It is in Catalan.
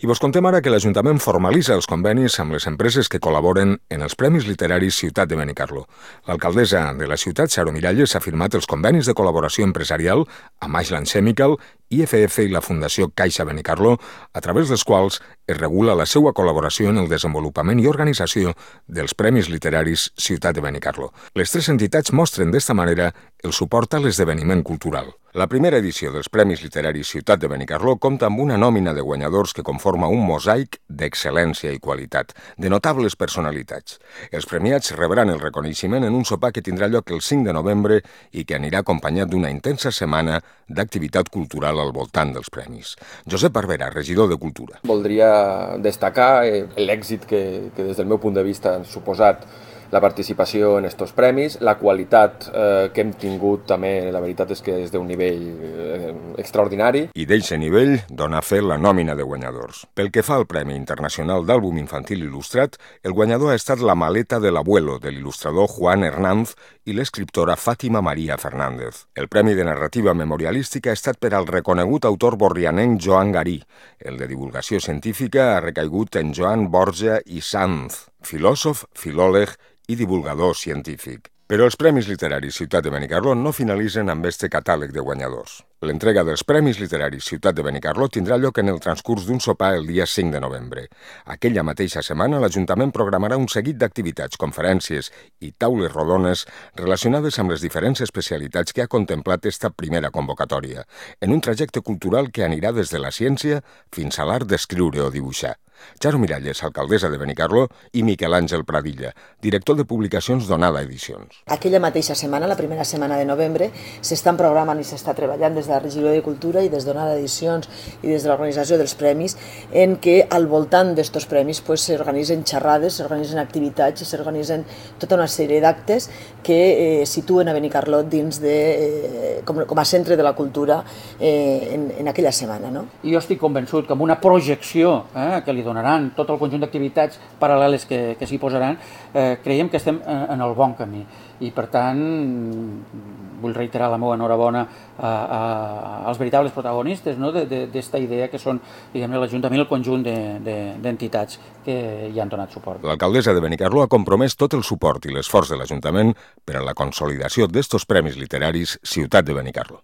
I vos contem ara que l'Ajuntament formalitza els convenis amb les empreses que col·laboren en els Premis Literaris Ciutat de Benicarló. L'alcaldessa de la ciutat, Charo Miralles, ha firmat els convenis de col·laboració empresarial amb Ashland Chemical, IFF i la Fundació Caixa Benicarló, a través dels quals es regula la seva col·laboració en el desenvolupament i organització dels Premis Literaris Ciutat de Benicarló. Les tres entitats mostren d'esta manera el suport a l'esdeveniment cultural. La primera edició dels Premis Literaris Ciutat de Benicarló compta amb una nòmina de guanyadors que conforma un mosaic d'excel·lència i qualitat, de notables personalitats. Els premiats rebran el reconeixement en un sopar que tindrà lloc el 5 de novembre i que anirà acompanyat d'una intensa setmana d'activitat cultural al voltant dels premis. Josep Barberà, regidor de Cultura. Voldria destacar l'èxit que des del meu punt de vista han suposat la participació en aquests premis, la qualitat que hem tingut també, la veritat és que és d'un nivell extraordinari. I d'eixe nivell dona fe la nòmina de guanyadors. Pel que fa al Premi Internacional d'Àlbum Infantil Il·lustrat, el guanyador ha estat La maleta de l'abuelo, de l'il·lustrador Juan Hernández i l'escriptora Fàtima Maria Fernández. El Premi de Narrativa Memorialística ha estat per al reconegut autor borrianenc Joan Garí. El de Divulgació Científica ha recaigut en Joan Borja i Sanz, filòsof, filòleg i divulgador científic. Però els Premis Literaris Ciutat de Benicarló no finalitzen amb este catàleg de guanyadors. L'entrega dels Premis Literaris Ciutat de Benicarló tindrà lloc en el transcurs d'un sopar el dia 5 de novembre. Aquella mateixa setmana, l'Ajuntament programarà un seguit d'activitats, conferències i taules rodones relacionades amb les diferents especialitats que ha contemplat esta primera convocatòria, en un trajecte cultural que anirà des de la ciència fins a l'art d'escriure o dibuixar. Charo Miralles, alcaldessa de Benicarló, i Miquel Àngel Pradilla, director de publicacions d'Onada Edicions. Aquella mateixa setmana, la primera setmana de novembre, s'estan programant i s'està treballant des de la Regidoria de Cultura i des d'Onada Edicions i des de l'organització dels premis, en què al voltant d'estos premis s'organitzen xerrades, s'organitzen activitats i s'organitzen tota una sèrie d'actes que situen a Benicarló dins com a centre de la cultura en aquella setmana. No? Jo estic convençut que amb una projecció que li donaran tot el conjunt d'activitats paral·leles que s'hi posaran, creiem que estem en el bon camí. I, per tant, vull reiterar la meva enhorabona als veritables protagonistes d'esta idea que són l'Ajuntament i el conjunt d'entitats que hi han donat suport. L'alcaldessa de Benicarló ha compromès tot el suport i l'esforç de l'Ajuntament per a la consolidació d'estos Premis Literaris Ciutat de Benicarló.